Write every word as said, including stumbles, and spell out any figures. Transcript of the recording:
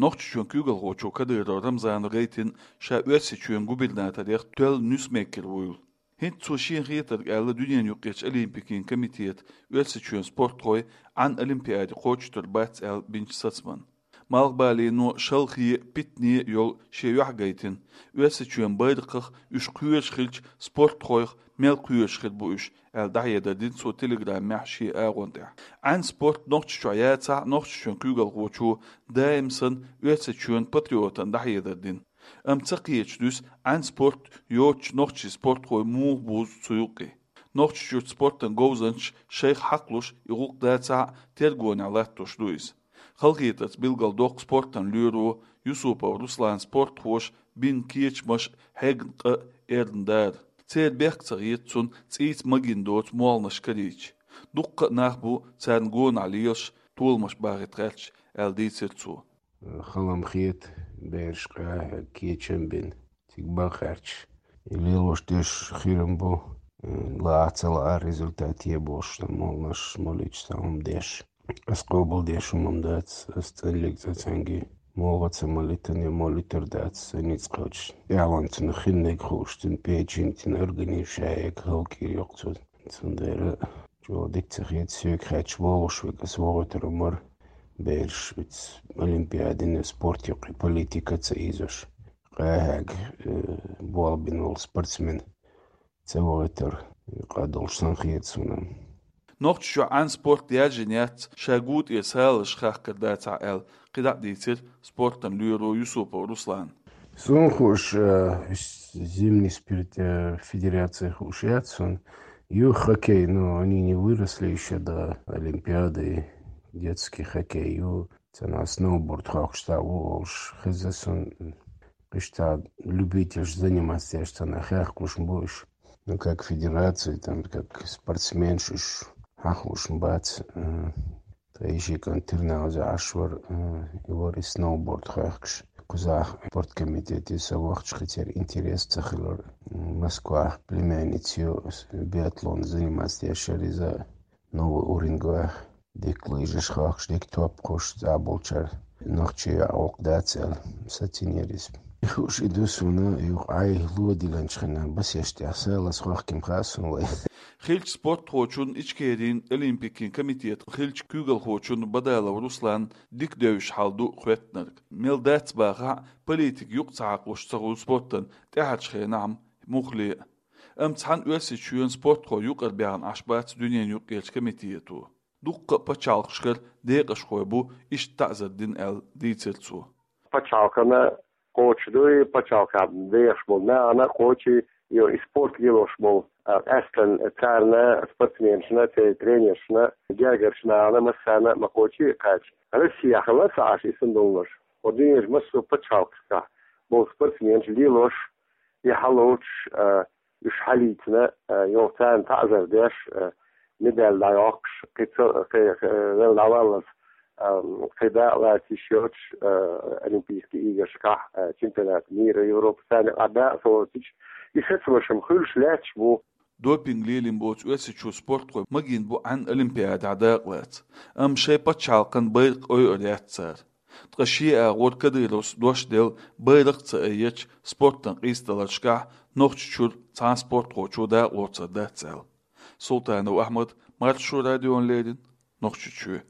Нохчийчоьнан куьйгалхочо Кадыров Рамзана гайтина ша Оьрсийчоьнан губернаторех тоьлла нуьйсмейкер вуйла. ХӀинца цо шена хетарг аьлла Дуьненаюкъерчу Олимпикийн комитета Оьрсийчоьнан спортхой Ӏан Олимпиаде кхочуш тара бац аьлла бинчу сацаман. Малхбалено, шалхе, питане йолу шен юьхь гайтина, Оьрсийчоьнан байракхах уьш кхоьруш хилча, спортхойх мел кхоьруш хир бу уьш, аьлла дӀахьедар дина цо телеграммехь шен агӀон тӀехь. Ӏан спорт Нохчийчохь яцахь а, Нохчийчоьнан куьйгалхочо даим санна Оьрсийчоьнан патриотана дӀахьедар дина. Амма ца кхеташ дуьсу Ӏан спорт йоцучу нохчийн спортхой муха бузу цу юккъе. Нохчийчуьрчу спортан говзанчаш шайх хьакхалуш и гӀуллакх дацахь а тергонехь латтош ду иза. Халахетарца билгалдоккху спортан лоьро Юсупов Руслана спортхоша бина кечамаш, хьегна къа а, эрна дара. Церан бехк ца хета цунна цӀийца магийна доцу молханаш карийча. Дуккха а нах бу царна гонах лелаш, толамаш бахийта гӀерташ, аьлла дийцира цо. Хала-м хета, бераш къаьхьа кечам бина, цига бан гӀерташ. И лелош деш хир-м бу, лаахь ца лаахь результат е бохуш, молханаш молуьйтуш цхьа хӀума деш. Ас къобалдеш хӀума-м дац, ас цӀанлиг цӀа цхьаьнгге молха ца малийтина, я молуьйтур дац, сан ницкъ кхочуш. ТӀаьхьалонца хиннарг хууш, цуьнан печень, цуьнан организм ша яга хӀаллакьхир йоккху цо. Цундела чӀогӀа дика ца хета, соьга хаьттича бохуш верг ас вохуьйтур ма вара, бераш оцу Олимпиадина, спорт юккъе политика ца ийзош. Къаьхьа, э, болх бина волу спортсмен ца вохуьйтур къа долуш санна хета суна. Нохчийчохь Ӏан спорт яьржина яц, ша гу тӀера салазаш хахкар дацахь аьлла, кхидӀа а дийцира спортан лоьро Юсупов Руслана. Суна хууш, э, зимний спорт, э, федерация хууш яц суна. Ю хоккей, но они не выросли ещё до Олимпиады, детский хоккей. Ю цхьана сноуборд хохкуш цхьа ву олуш хеза суна. Кхин цхьа любительш заниматься деш цхьана хехкалуш ма бу уьш. Ну, как федерация, там, как спортсменш уьш хьахууш ма бац. Э, тхан йишикан Тирназа Ӏаш вара, э, и вара и сноуборд хохкуш. Кхузахь спорткомитете сан вахча хи церан интерес ца хилар. Москвахь племянница ю, биатлон заниматься деш яра иза, новый уровень гойх. Дика лыжаш хохкуш, дика топ кхуш, цӀа болчара нохчий йоӀ гӀуллакх дац аьлла, сацийна яра иза. Хууш и ду суна, юха Ӏай ло диланчу хенахь басеш тӀехь салаз хохкий-м хаьа суна вай. Хиллачу спортхочун, Ичкерин Олимпикийн комитетан хиллачу куьйгалхочун Бадалов Руслана дика девзаш хьал ду хоьттинарг. Мел дац бахахь а, политика юкъа ца хьакхалуш ца хуьлу спортан тӀаьхьарчу хенахь-м муххале а. Амма цхьана Оьрсийчоьнан спортхой юкъара баьхна Ӏаш бац Дуьненаюкъерчу комитето. Дуккха а пачхьалкхашкара декъашхой бу иштта таӀзар дина аьлла дийцира цо. Пачхьалкхана кхочуш дуй, пачхьалкхехь дехаш болу нахана кхочий, йо, и спорт лелош болу, а, къаьстина царна, спортсменашна, церан тренершна, гергарчу нахана массарна а ма кхочий кхача. Россехь хилла ца Ӏаш и санна долуш. Хьо дуьненчу массо а пачхьалкхашкахь болу спортсменаш лелош, и хьалоцуш, а, уьш хьалийцина, а, йо, царна таӀзар деш, а, медаль дӀайоккхуш, кхин ца, кхин, кхин, вел дӀаваллалц, а, кхин дакъа лаца йиш йоцуш, а, Олимпийский играшкахь, а, чемпионат мира, Европы, царна юкъахь дакъа ца лоцуш, и сацамаш-м хуьлуш лаьтташ бу. Допинг лелийна боцу Оьрсийчуьра спортхой магийна бу Ӏан Олимпиадехь дакъа лаца. Амма шайн пачхьалкхан байракх ойур яц цара. Ткъа шен агӀор Кадыровс дош делла, байракх а ца айъича, спортан къийсадаларшкахь Нохчийчуьра цхьана спортхочо дакъа лоцур дац аьлла. Султанов Ахьмад, Маршо радиона леррина, Нохчийчоь.